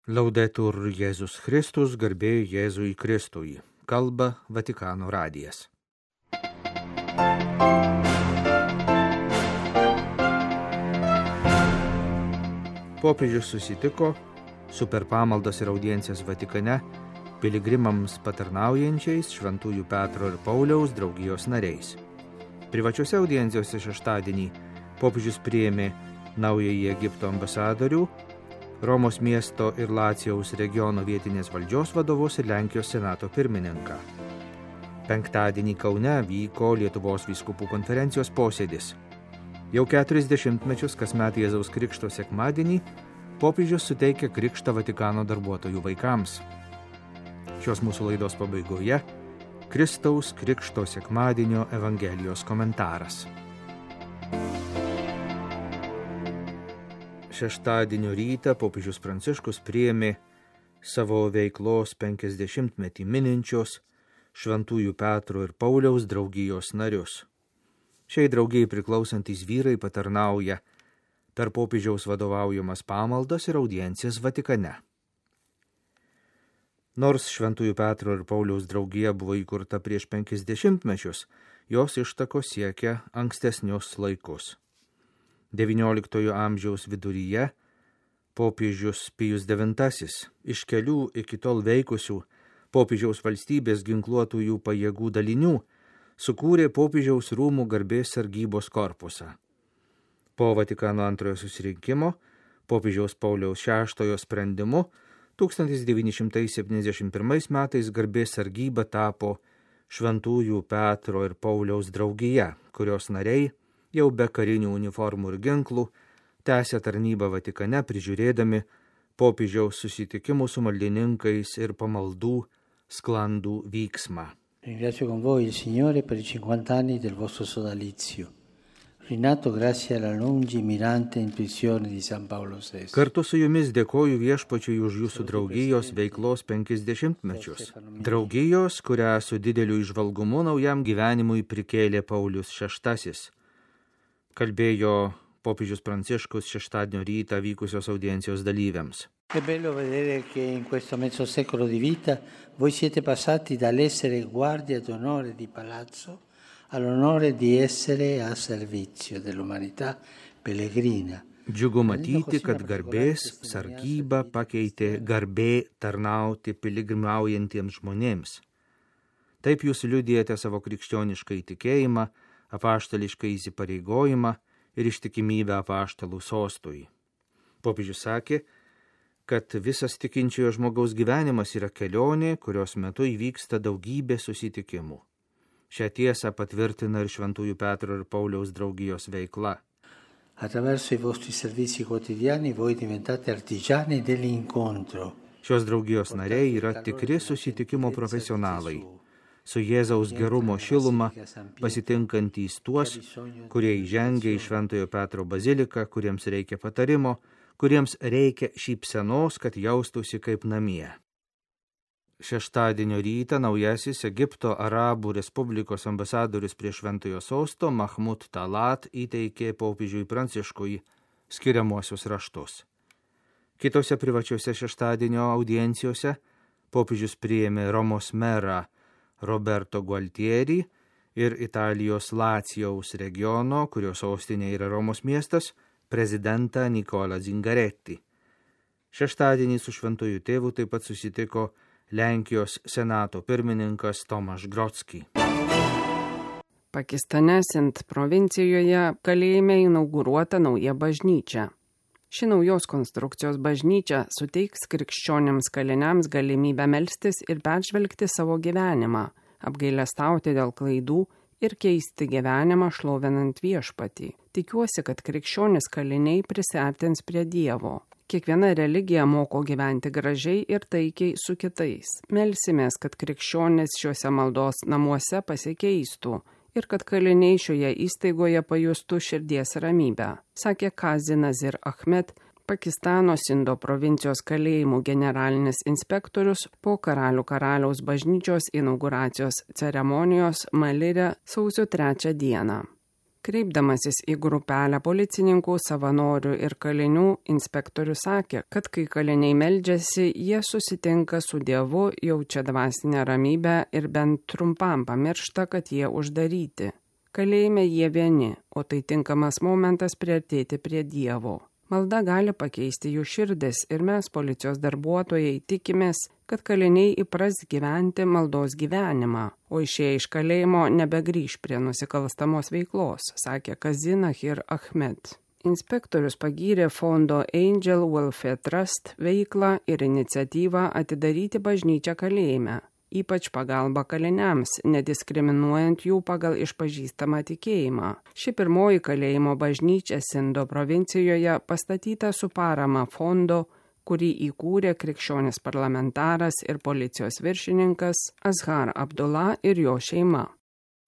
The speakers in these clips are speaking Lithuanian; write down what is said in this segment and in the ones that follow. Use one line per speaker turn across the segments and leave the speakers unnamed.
Laudetur Jėzus Kristus, garbė Jėzui Kristui. Kalba Vatikano radijas. Popiežius susitiko su per pamaldas ir audiencijas Vatikane piligrimams patarnaujančiais Šventųjų Petro ir Pauliaus draugijos nariais. Privačiose audiencijose šeštadienį popiežius priėmė naująjį Egipto ambasadorių, Romos miesto ir Lacijaus regiono vietinės valdžios vadovus ir Lenkijos senato pirmininką. Penktadienį Kaune vyko Lietuvos vyskupų konferencijos posėdis. Jau 40 mečius kasmet Jėzaus Krikšto sekmadienį popiežius suteikia krikštą Vatikano darbuotojų vaikams. Šios mūsų laidos pabaigoje Kristaus Krikšto sekmadienio Evangelijos komentaras. Šeštadienio rytą popiežius Pranciškus priėmė savo veiklos 50-metį mininčios Šventųjų Petro ir Pauliaus draugijos narius. Šiai draugijai priklausantys vyrai patarnauja per popiežiaus vadovaujamas pamaldas ir audiencijas Vatikane. Nors Šventųjų Petro ir Pauliaus draugija buvo įkurta prieš 50 mečius, jos ištakos siekia ankstesnius laikus. XIX amžiaus viduryje popiežius Pijus IX iš kelių iki tol veikusių popiežiaus valstybės ginkluotųjų pajėgų dalinių sukūrė popiežiaus rūmų garbės sargybos korpusą. Po Vatikano antrojo susirinkimo popiežiaus Pauliaus VI sprendimu 1971 metais garbės sargyba tapo Šventųjų Petro ir Pauliaus draugija, kurios nariai jau be karinių uniformų ir ginklų tęsė tarnybą Vatikane, prižiūrėdami popiežiaus susitikimų su maldininkais ir pamaldų sklandų vyksmą.
Ringrazio con voi il Signore per i 50 anni del vostro sodalizio, rinato grazie alla lungimirante intuizione di San Paolo VI.
Kartu su jumis dėkoju Viešpačiui už jūsų draugijos veiklos 50 mečius. Draugijos, kurią su dideliu įžvalgumu naujam gyvenimui prikėlė Paulius VI. Kalbėjo popiežius Pranciškus šeštadienio rytą vykusios audiencijos dalyviams.
È bello vedere che in questo mezzo secolo di vita voi siete passati dall'essere guardia d'onore di palazzo all'onore di essere a servizio dell'umanità pellegrina.
Džiugu matyti, kad garbės sargyba pakeitė garbė tarnauti piligrimaujantiems žmonėms. Taip jūs liudijate savo krikščionišką įtikėjimą, apaštališką įsipareigojimą ir ištikimybę apaštalų sostui. Popiežius sakė, kad visas tikinčiojo žmogaus gyvenimas yra kelionė, kurios metu įvyksta daugybė susitikimų. Šią tiesą patvirtina ir Šventųjų Petro ir Pauliaus draugijos veikla.
Attraverso i vostri servizi quotidiani voi diventate artigiani dell'incontro.
Šios draugijos nariai yra tikri susitikimo profesionalai, su Jėzaus gerumo šiluma pasitinkantys tuos, kurie įžengia į Šventojo Petro baziliką, kuriems reikia patarimo, kuriems reikia šypsenos, kad jaustųsi kaip namie. Šeštadienio rytą naujasis Egipto Arabų Respublikos ambasadorius prie Šventojo sosto Mahmud Talat įteikė popiežiui Pranciškui skiriamuosius raštus. Kitose privačiose šeštadienio audiencijose popiežius priėmė Romos merą Roberto Gualtieri ir Italijos Lacijaus regiono, kurio sostinė yra Romos miestas, prezidentą Nicolą Zingaretti. Šeštadienį su Šventuoju tėvu taip pat susitiko Lenkijos senato pirmininkas Tomaš Grodzki.
Pakistane Sint provincijoje kalėjime inauguruota nauja bažnyčia. Ši naujos konstrukcijos bažnyčia suteiks krikščioniams kaliniams galimybę melstis ir peržvelgti savo gyvenimą, apgailestauti dėl klaidų ir keisti gyvenimą šlovinant Viešpatį. Tikiuosi, kad krikščionis kaliniai prisiartins prie Dievo. Kiekviena religija moko gyventi gražiai ir taikiai su kitais. Melsimės, kad krikščionis šiuose maldos namuose pasikeistų ir kad kaliniai šioje įstaigoje pajustų širdies ramybę, sakė Kazi Nazir Ahmed, Pakistano Sindo provincijos kalėjimų generalinis inspektorius po karaliaus bažnyčios inauguracijos ceremonijos Malire sausio 3 dieną. Kreipdamasis į grupelę policininkų, savanorių ir kalinių, inspektorius sakė, kad kai kaliniai meldžiasi, jie susitinka su Dievu, jaučia dvasinę ramybę ir bent trumpam pamiršta, kad jie uždaryti. Kalėjime jie vieni, o tai tinkamas momentas priartėti prie Dievo. Malda gali pakeisti jų širdis ir mes, policijos darbuotojai, tikimės, kad kaliniai įpras gyventi maldos gyvenimą, o išėję iš kalėjimo nebegrįš prie nusikalstamos veiklos, sakė Kazi Nahir Ahmed. Inspektorius pagyrė fondo Angel Welfare Trust veiklą ir iniciatyvą atidaryti bažnyčią kalėjime, ypač pagalba kaliniams, nediskriminuojant jų pagal išpažįstamą tikėjimą. Ši pirmoji kalėjimo bažnyčia Sindo provincijoje pastatyta su parama fondo, kurį įkūrė krikščionis parlamentaras ir policijos viršininkas Azhar Abdullah ir jo šeima.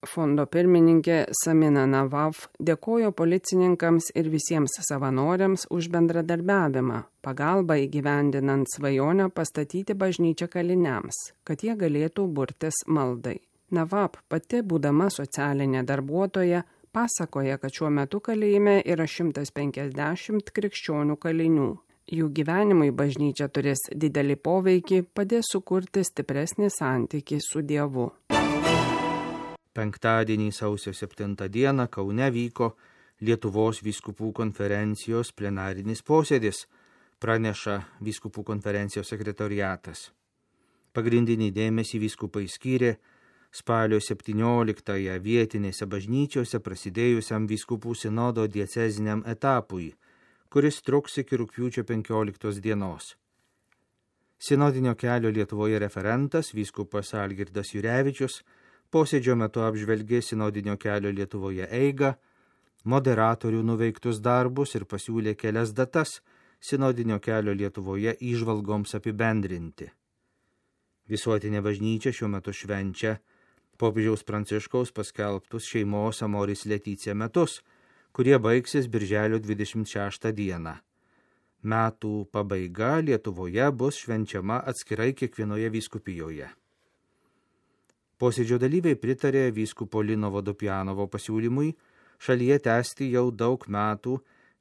Fondo pirmininkė Samina Navav dėkojo policininkams ir visiems savanoriams už bendradarbiavimą, pagalbą įgyvendinant svajonę pastatyti bažnyčią kaliniams, kad jie galėtų burtis maldai. Navav pati, būdama socialinė darbuotoja, pasakoja, kad šiuo metu kalėjime yra 150 krikščionių kalinių. Jų gyvenimui bažnyčia turės didelį poveikį, padės sukurti stipresnį santykį su Dievu.
Penktadienį sausio 7 dieną Kaune vyko Lietuvos vyskupų konferencijos plenarinis posėdis, praneša vyskupų konferencijos sekretoriatas. Pagrindinį dėmesį vyskupai skyrė spalio 17-ąją vietinėse bažnyčiose prasidėjusiam vyskupų sinodo dieceziniam etapui, kuris truks iki rugpjūčio 15 dienos. Sinodinio kelio Lietuvoje referentas vyskupas Algirdas Jurevičius posėdžio metu apžvelgė sinodinio kelio Lietuvoje eigą, moderatorių nuveiktus darbus ir pasiūlė kelias datas sinodinio kelio Lietuvoje įžvalgoms apibendrinti. Visuotinė bažnyčia šiuo metu švenčia popiežiaus Pranciškaus paskelbtus šeimos Amoris Laetitia metus, kurie baigsis birželio 26 dieną. Metų pabaiga Lietuvoje bus švenčiama atskirai kiekvienoje vyskupijoje. Posėdžio dalyviai pritarė vyskupo Lino Vodopjanovo pasiūlymui šalyje tęsti jau daug metų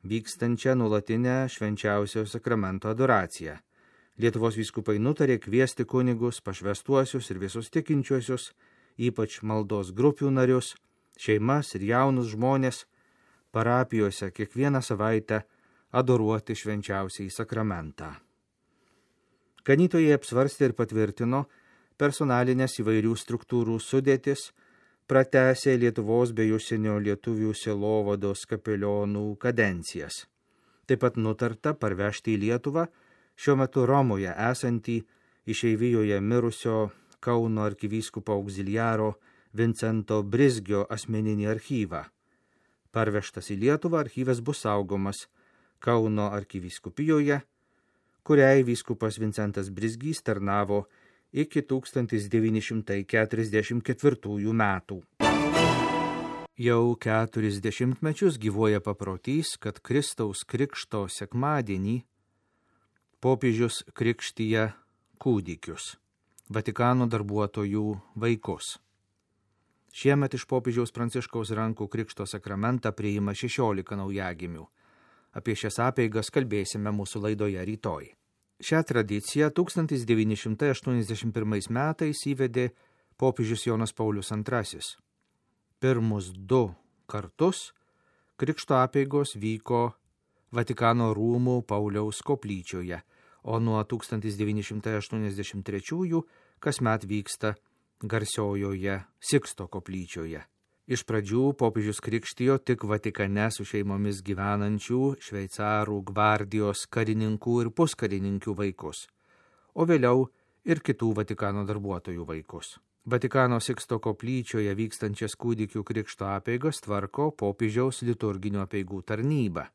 vykstančią nuolatinę švenčiausio sakramento adoraciją. Lietuvos vyskupai nutarė kviesti kunigus, pašvęstuosius ir visus tikinčiuosius, ypač maldos grupių narius, šeimas ir jaunus žmonės, parapijose kiekvieną savaitę adoruoti švenčiausiai sakramentą. Ganytojai apsvarstė ir patvirtino personalinės įvairių struktūrų sudėtis, pratęsė Lietuvos bei užsienio lietuvių sielovados kapelionų kadencijas. Taip pat nutarta parvežti į Lietuvą šiuo metu Romoje esantį išeivijoje mirusio Kauno arkivyskupo auxiliaro Vincento Brizgio asmeninį archyvą. Parvežtas į Lietuvą archyvas bus saugomas Kauno arkivyskupijoje, kuriai vyskupas Vincentas Brizgys tarnavo iki 1944 metų. Jau 40 mečius gyvuoja paprotys, kad Kristaus krikšto sekmadienį popiežius krikštija kūdikius, Vatikano darbuotojų vaikus. Šiemet iš popiežiaus Pranciškaus rankų krikšto sakramentą priima 16 naujagimių. Apie šias apeigas kalbėsime mūsų laidoje rytoj. Šią tradiciją 1981 metais įvedė popiežius Jonas Paulius II. Pirmus 2 kartus krikšto apeigos vyko Vatikano rūmų Pauliaus koplyčioje, o nuo 1983 kasmet vyksta garsiojoje Siksto koplyčioje. Iš pradžių popiežius krikštijo tik Vatikane su šeimomis gyvenančių šveicarų gvardijos karininkų ir puskarininkių vaikus, o vėliau ir kitų Vatikano darbuotojų vaikus. Vatikano Siksto koplyčioje vykstančias kūdikių krikšto apeigas tvarko popiežiaus liturginių apeigų tarnyba.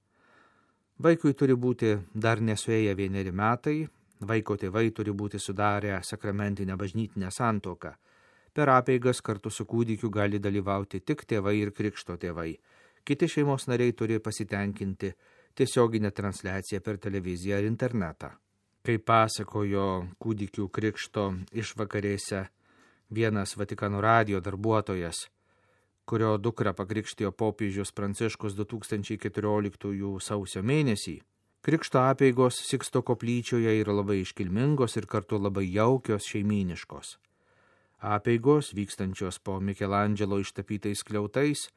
Vaikui turi būti dar nesuėję 1 metai, vaiko tėvai turi būti sudarę sakramentinę bažnytinę santuoką. Per apeigas kartu su kūdikiu gali dalyvauti tik tėvai ir krikšto tėvai. Kiti šeimos nariai turi pasitenkinti tiesioginę transliaciją per televiziją ar internetą. Kaip pasakojo kūdikių krikšto išvakarėse vienas Vatikano radijo darbuotojas, kurio dukrą pakrikštijo popiežius Pranciškus 2014 sausio mėnesį, krikšto apeigos Siksto koplyčioje yra labai iškilmingos ir kartu labai jaukios šeimyniškos. Apeigos, vykstančios po Mikelandželo ištapytais skliautais,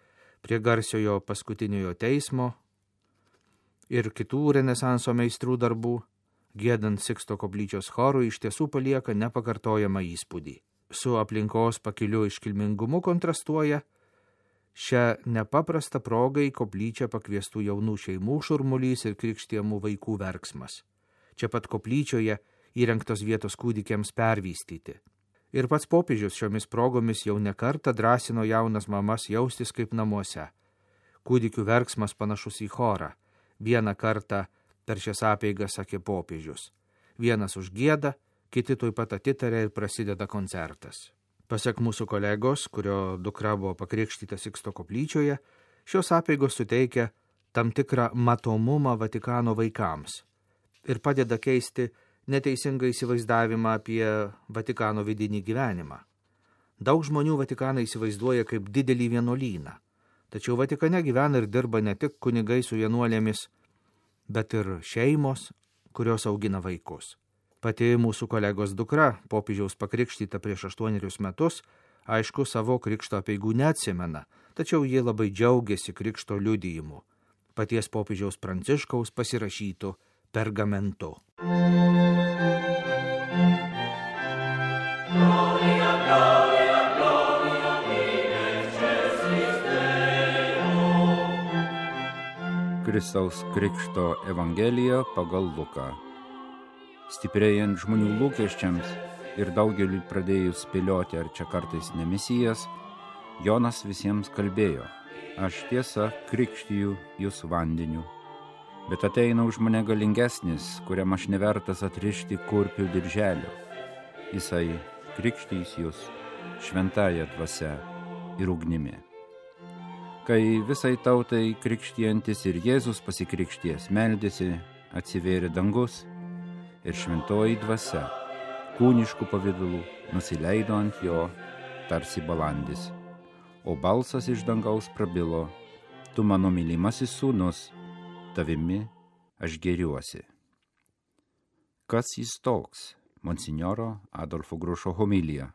prie garsiojo paskutiniojo teismo ir kitų Renesanso meistrų darbų, giedant Siksto koplyčios chorui, iš tiesų palieka nepakartojamą įspūdį. Su aplinkos pakiliu iškilmingumu kontrastuoja šią nepaprastą progą į koplyčią pakviestų jaunų šeimų šurmulys ir krikštijamų vaikų verksmas. Čia pat koplyčioje įrengtos vietos kūdikiams pervystyti. Ir pats popiežius šiomis progomis jau ne kartą drąsino jaunas mamas jaustis kaip namuose. Kūdikių verksmas panašus į chorą. Vieną kartą per šias apeigas sakė popiežius. Vienas užgieda, kiti tuoj pat atitarė ir prasideda koncertas. Pasak mūsų kolegos, kurio dukra buvo pakrikštyta Siksto koplyčioje, šios apeigos suteikia tam tikrą matomumą Vatikano vaikams ir padeda keisti neteisingą įsivaizdavimą apie Vatikano vidinį gyvenimą. Daug žmonių Vatikaną įsivaizduoja kaip didelį vienuolyną, tačiau Vatikane gyvena ir dirba ne tik kunigai su vienuolėmis, bet ir šeimos, kurios augina vaikus. Pati mūsų kolegos dukra, popiežiaus pakrikštyta prieš 8 metus, aišku, savo krikšto apeigų neatsimena, tačiau jie labai džiaugiasi krikšto liudijimu, paties popiežiaus Pranciškaus pasirašytų pergamentu.
Kristaus Krikšto Evangelija pagal Luką. Stiprėjant žmonių lūkesčiams ir daugeliui pradėjus spėlioti, ar čia kartais ne Mesijas, Jonas visiems kalbėjo: aš tiesa krikštiju jūs vandeniu, bet ateina už mane galingesnis, kuriam aš nevertas atrišti kurpių dirželio. Jisai krikštys jūs šventąja dvasia ir ugnimi. Kai visai tautai krikštijantis ir Jėzus pasikrikšties meldėsi, atsivėrė dangus ir šventoji dvasia kūniškų pavidalų nusileido ant jo tarsi balandis. O balsas iš dangaus prabilo: tu mano mylimasis sūnus, tavimi aš gėriuosi. Kas jis toks? Monsinjoro Adolfo Grušo homilija.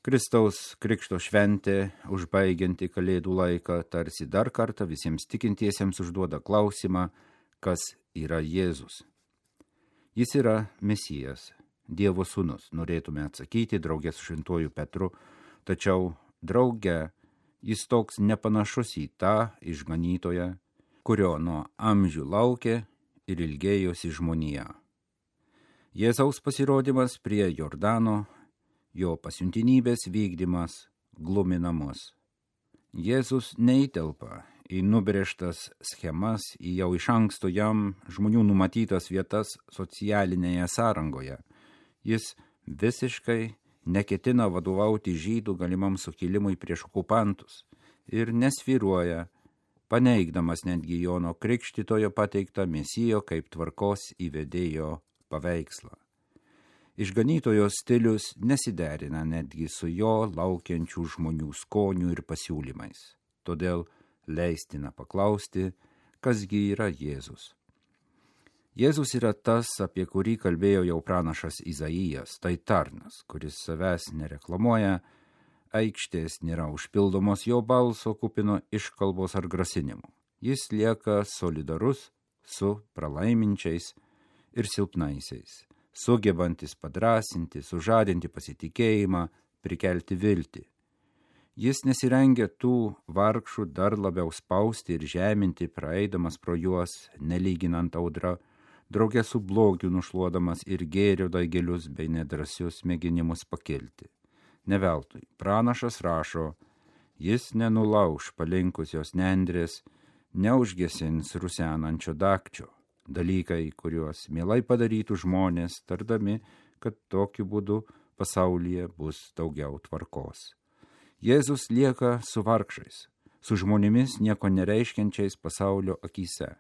Kristaus Krikšto šventė, užbaigianti Kalėdų laiką, tarsi dar kartą visiems tikintiesiems užduoda klausimą, kas yra Jėzus. Jis yra Mesijas, Dievo sūnus, norėtume atsakyti drauge su šventuoju Petru, tačiau drauge jis toks nepanašus į tą išganytoją, kurio nuo amžių laukė ir ilgėjosi žmonija. Jėzaus pasirodymas prie Jordano, jo pasiuntinybės vykdymas glumina mus. Jėzus neįtelpa į nubrėžtas schemas, į jau iš anksto jam žmonių numatytas vietas socialinėje sąrangoje. Jis visiškai neketina vadovauti žydų galimam sukilimui prieš okupantus ir nesvyruoja, paneigdamas netgi Jono Krikštytojo pateiktą Mesijo kaip tvarkos įvedėjo paveikslą. Išganytojo stilius nesiderina netgi su jo laukiančių žmonių skonių ir pasiūlymais. Todėl leistina paklausti, kasgi yra Jėzus. Jėzus yra tas, apie kurį kalbėjo jau pranašas Izaijas, tai tarnas, kuris savęs nereklamuoja, aikštės nėra užpildomos jo balso kupino iškalbos ar grasinimų. Jis lieka solidarus su pralaiminčiais ir silpnaisiais, sugebantis padrasinti, sužadinti pasitikėjimą, prikelti viltį. Jis nesirengia tų vargšų dar labiau spausti ir žeminti, praeidamas pro juos, nelyginant audra, drauge su blogiu nušluodamas ir gėrio daigelius bei nedrasius mėginimus pakilti. Neveltui, pranašas rašo, jis nenulauš palinkusios nendrės, neužgesins rusenančio dakčio. Dalykai, kuriuos mielai padarytų žmonės, tardami, kad tokiu būdu pasaulyje bus daugiau tvarkos. Jėzus lieka su vargšais, su žmonėmis nieko nereiškiančiais pasaulio akyse.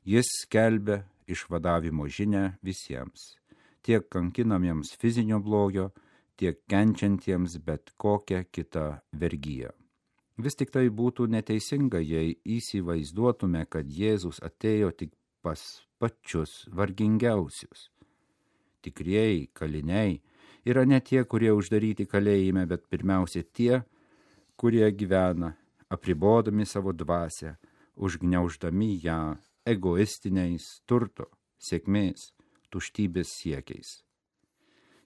Jis skelbia išvadavimo žinią visiems, tiek kankinamiems fizinio blogio, tiek kenčiantiems bet kokią kitą vergiją. Vis tik tai būtų neteisinga, jei įsivaizduotume, kad Jėzus atėjo tik pas pačius vargingiausius. Tikrieji kaliniai yra ne tie, kurie uždaryti kalėjime, bet pirmiausia tie, kurie gyvena, apribodami savo dvasią, užgniauždami ją egoistiniais turto, sėkmės, tuštybės siekiais.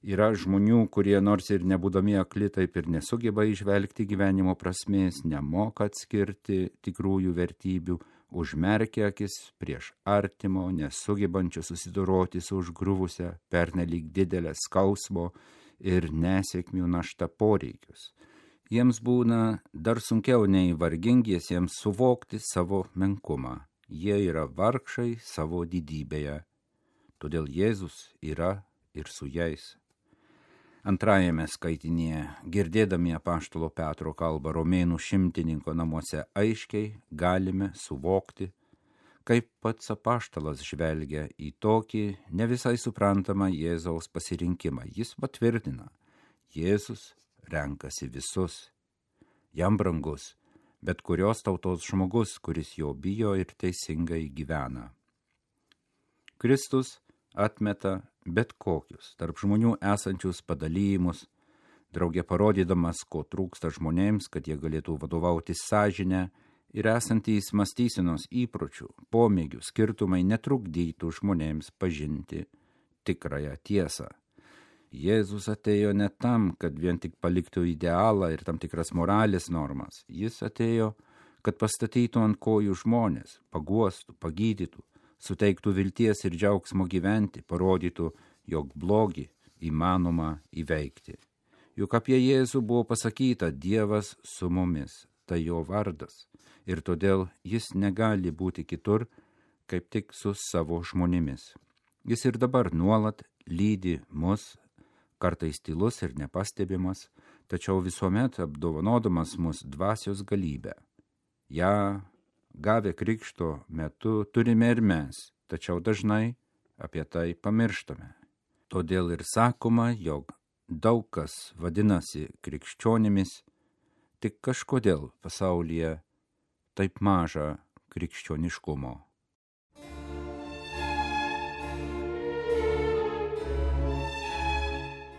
Yra žmonių, kurie nors ir nebūdami akli, taip ir nesugeba įžvelgti gyvenimo prasmės, nemoka atskirti tikrųjų vertybių, užmerkia akis prieš artimo, nesugebančio susidoroti su užgriuvusią pernelyg didelę skausmo ir nesėkmių naštą poreikius. Jiems būna dar sunkiau nei vargingiesiems suvokti savo menkumą. Jie yra vargšai savo didybėje. Todėl Jėzus yra ir su jais. Antrajame skaitinėje, girdėdami apaštalo Petro kalbą Romėnų šimtininko namuose, aiškiai galime suvokti, kaip pats apaštalas žvelgia į tokį ne visai suprantamą Jėzaus pasirinkimą. Jis patvirtina, Jėzus renkasi visus. Jam brangus bet kurios tautos žmogus, kuris jo bijo ir teisingai gyvena. Kristus atmeta bet kokius tarp žmonių esančius padalymus, draugė parodydamas, ko trūksta žmonėms, kad jie galėtų vadovauti sąžinę ir esantys mąstysenos įpročių, pomėgių skirtumai netrukdytų žmonėms pažinti tikrąją tiesą. Jėzus atėjo ne tam, kad vien tik paliktų idealą ir tam tikras moralės normas. Jis atėjo, kad pastatytų ant kojų žmonės, paguostų, pagydytų, suteiktų vilties ir džiaugsmo gyventi, parodytų, jog blogį įmanoma įveikti. Juk apie Jėzų buvo pasakyta Dievas su mumis, tai jo vardas, ir todėl jis negali būti kitur, kaip tik su savo žmonėmis. Jis ir dabar nuolat lydi mus, kartais tylus ir nepastebimas, tačiau visuomet apdovanodamas mus dvasios galybę. Ja, gavę krikšto metu, turime ir mes, tačiau dažnai apie tai pamirštame. Todėl ir sakoma, jog daug kas vadinasi krikščionimis, tik kažkodėl pasaulyje taip maža krikščioniškumo.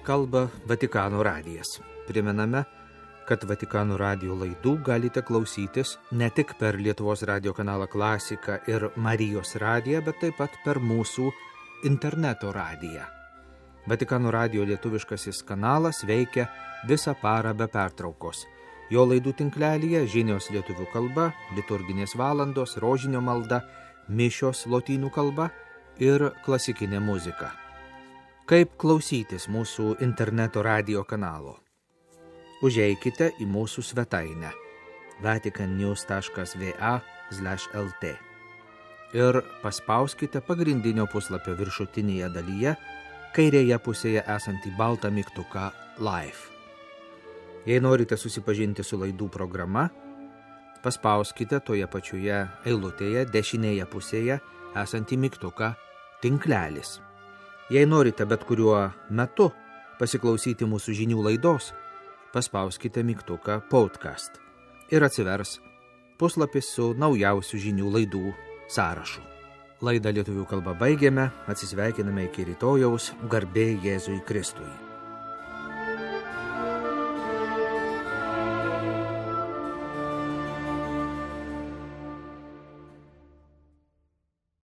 Kalba Vatikano radijas. Primename, kad Vatikano radijo laidų galite klausytis ne tik per Lietuvos radijo kanalą Klasika ir Marijos radiją, bet taip pat per mūsų interneto radiją. Vatikano radijo lietuviškasis kanalas veikia visą parą be pertraukos. Jo laidų tinklelyje žinios lietuvių kalba, liturginės valandos, rožinio malda, mišios lotynų kalba ir klasikinė muzika. Kaip klausytis mūsų interneto radijo kanalo? Užeikite į mūsų svetainę vaticannews.va/lt ir paspauskite pagrindinio puslapio viršutinėje dalyje kairėje pusėje esantį baltą mygtuką Live. Jei norite susipažinti su laidų programa, paspauskite toje pačioje eilutėje dešinėje pusėje esantį mygtuką Tinklelis. Jei norite bet kuriuo metu pasiklausyti mūsų žinių laidos, paspauskite mygtuką Podcast ir atsivers puslapis su naujausių žinių laidų sąrašu. Laidą lietuvių kalba baigiame, atsisveikiname iki rytojaus, garbė Jėzui Kristui.